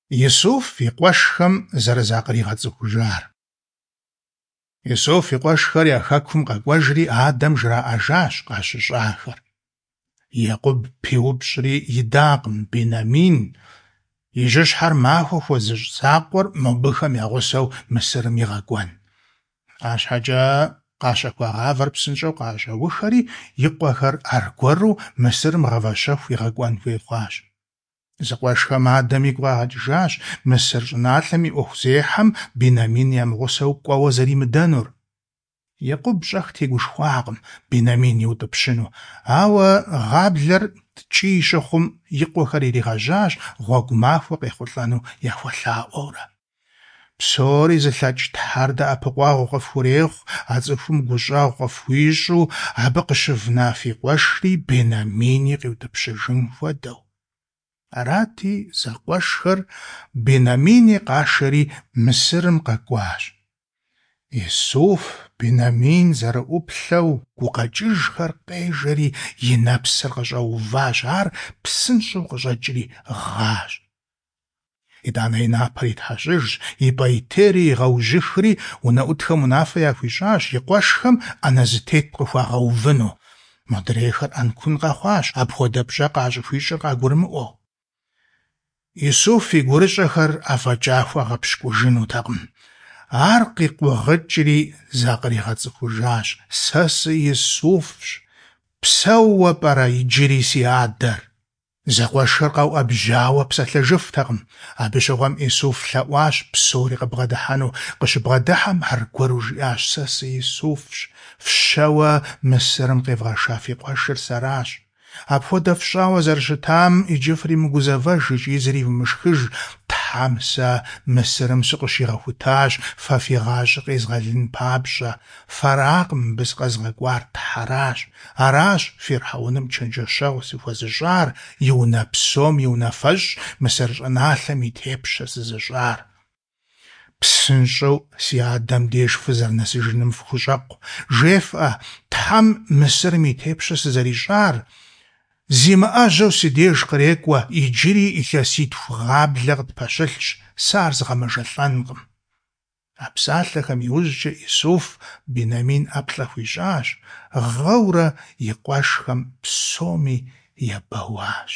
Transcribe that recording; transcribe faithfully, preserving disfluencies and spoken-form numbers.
Исуф и къуэшхэм зэрызакъригъэцӏыхужар. Исуф и къуэшхэр я хэкум къэкӏуэжри адэм жраӏэжащ къащыщӏахэр. Екъуб пиупщӏри идакъым Бенамин, и жьыщхьэр махуэ хуэзыщӏ закъуэр мобыхэм я гъусэу Мысырым игъэкӏуэн. АрщхьэкӀэ къащэхуа гъавэр псынщӀэу къащӀэухэри, и къуэхэр аргуэру Мысырым гъавэщэху игъэкӀуэн хуей хъуащ. Зэкъуэшхэм адэм игу къагъэкӀыжащ Мысыр щӀыналъэм и Ӏуэхузехьэм Бенамин ямыгъусэу кӀуэуэ зэримыдэнур. Екъуб щӀэх тегушхуакъым Бенамин иутӀыпщыну, ауэ гъаблэр ткӀий щыхъум, и къуэхэр иригъэжьащ гъуэгу махуэ къехъулӀэну яхуэлъаӀуэурэ. Псори зылъэкӀ Тхьэр дэӀэпыкъуэгъу къыфхурехъу, а цӀыхум гущӀэгъу къыфхуищӀу, абы къыщывна фи къуэшри Бенамини къиутӀыпщыжын хуэдэу. Арати, зэкъуэшхэр Бенамини къашэри Мысырым къэкӀуащ. Исуф Бенамин зэрыӀуплъэу гукъэкӀыжхэр къежэри и нэпсыр къыщӀэуващ, ар псынщӀэу къыщӀэкӀри гъащ. ИтӀанэ и напэр итхьэщӀыжщ, и пӀейтейри игъэужьыхри, унэӀутхэм унафэ яхуищӀащ и къуэшхэм Ӏэнэ зэтет къыхуагъэувыну. Модрейхэр Ӏэнкун къэхъуащ, апхуэдэ пщӀэ къащӀыхуищӀыр къагурымыӀуэу. Исуф и гурыщӀэхэр афӀэкӀа хуэгъэпщкӀужынутэкъым. Ар къикъугъыкӀри закъригъэцӀыхужащ: «Сэ сы-Исуфщ! Псэууэ пӀэрэ иджыри си адэр?» Зэкъуэшхэр къэуӀэбжьауэ псэлъэжыфтэкъым. Абы щыгъуэм Исуф лъэӀуащ псори къыбгъэдыхьэну. Къыщыбгъэдыхьэм аргуэру жиӀащ: «Сэ сы-Исуфщ! Фщэуэ Мысырым къевгъэша фи къуэшыр сэращ. Апхуэдэ фщӀауэ зэрыщытам иджы фримыгузэвэж икӀи зривмышхыж. Тхьэм сэ Мысырым сыкъыщигъэхутащ фэ фи гъащӀэр къезгъэлын папщӀэ. Фэракъым мыбы сыкъэзгъэкӀуар, Тхьэращ. Аращ фирхьэуным чэнджэщэгъу сыхуэзыщӀар, и унэ псом и унафэщӀ, Мысыр щӀыналъэм и тепщэ сызыщӀар. ПсынщӀэу си адэм деж фызэрынэсыжыным фыхущӀэкъу. ЖефӀэ, Тхьэм Мысырым и тепщэ сызэрищӀар, зимыӀэжьэу си деж кърекӀуэ, иджыри илъэситху гъаблэ къытпэщылъщ, сэ ар згъэмэжэлӀэнкъым». А псалъэхэм иужькӀэ Исуф Бенамин ӀэплӀэ хуищӀащ, гъыурэ и къуэшхэм псоми ебэуащ.